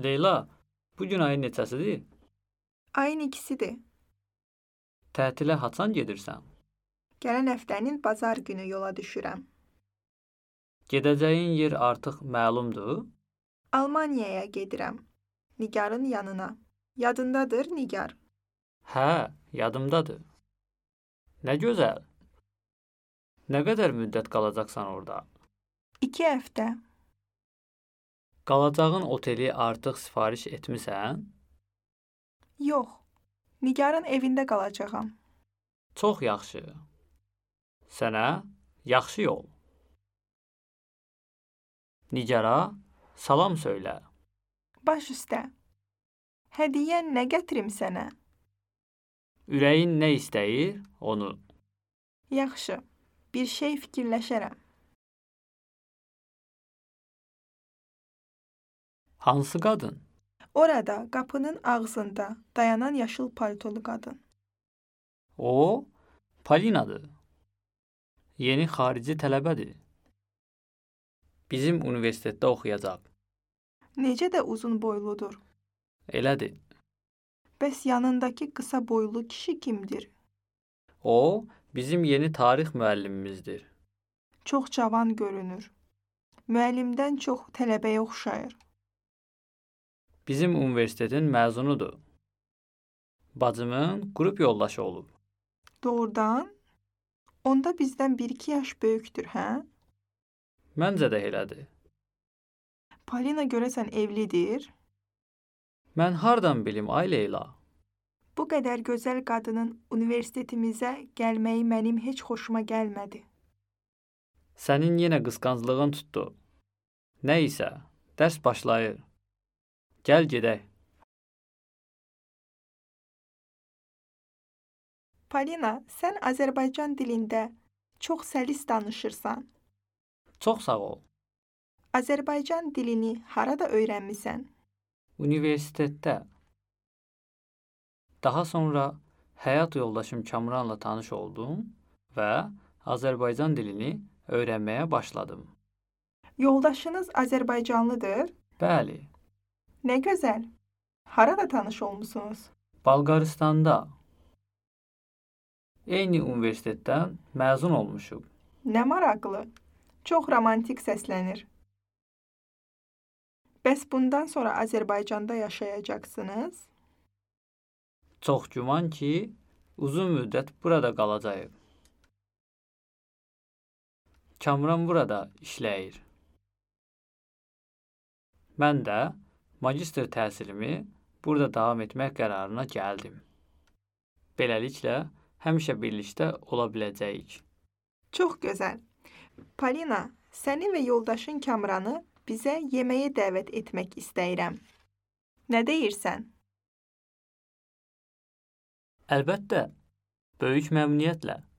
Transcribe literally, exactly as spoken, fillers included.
Leyla, bugün ayın neçəsidir? Ayın ikisidir. Tətilə haçan gedirsən? Gələn həftənin bazar günü yola düşürəm. Gedəcəyin yer artıq məlumdur? Almaniyaya gedirəm. Nigarın yanına. Yadındadır Nigar? Hə, yadımdadır. Nə gözəl. Nə qədər müddət qalacaqsan orada? İki həftə. Qalacağın oteli artıq sifariş etmisən? Yox. Nigarın evində qalacağam. Çox yaxşı. Sənə yaxşı yol. Nigara salam söylə. Baş üstə. Hədiyyən nə gətirim sənə? Ürəyin nə istəyir, onu. Yaxşı. Bir şey fikirləşərəm. Hansı qadın? Orada, qapının ağzında dayanan yaşıl paltolu qadın. O, Palinadır. Yeni xarici tələbədir. Bizim universitetdə oxuyacaq. Necə də uzun boyludur. Elədir. Bəs yanındakı qısa boylu kişi kimdir? O, bizim yeni tarix müəllimimizdir. Çox cavan görünür. Müəllimdən çox tələbəyə oxşayır. Bizim universitetin məzunudur. Bacımın qrup yoldaşı olub. Doğrudan? Onda bizdən bir iki yaş böyükdür, hə? Məncə də elədir. Palina görəsən evlidir? Mən hardan bilim, ay Leyla? Bu qədər gözəl qadının universitetimizə gəlməyi mənim heç xoşuma gəlmədi. Sənin yenə qısqanclığın tutdu. Nə isə, dərs başlayır. Gəl gedək. Palina, sən Azərbaycan dilində çox səlis danışırsan. Çox sağ ol. Azərbaycan dilini harada öyrənmisən? Universitetdə. Daha sonra həyat yoldaşım Kamranla tanış oldum və Azərbaycan dilini öyrənməyə başladım. Yoldaşınız Azərbaycanlıdır? Bəli, Nə gözəl. Harada tanış olmusunuz? Bolqarıstanda. Eyni universitetdən məzun olmuşuq. Nə maraqlı. Çox romantik səslənir. Bəs bundan sonra Azərbaycanda yaşayacaqsınız? Çox güman ki, uzun müddət burada qalacağıq. Kamran burada işləyir. Mən də magistr təhsilimi burada davam etmək qərarına gəldim. Beləliklə, həmişə birlikdə ola biləcəyik. Çox gözəl. Palina, səni və yoldaşın Kamranı bizə yeməyə dəvət etmək istəyirəm. Nə deyirsən? Əlbəttə, böyük məmnuniyyətlə.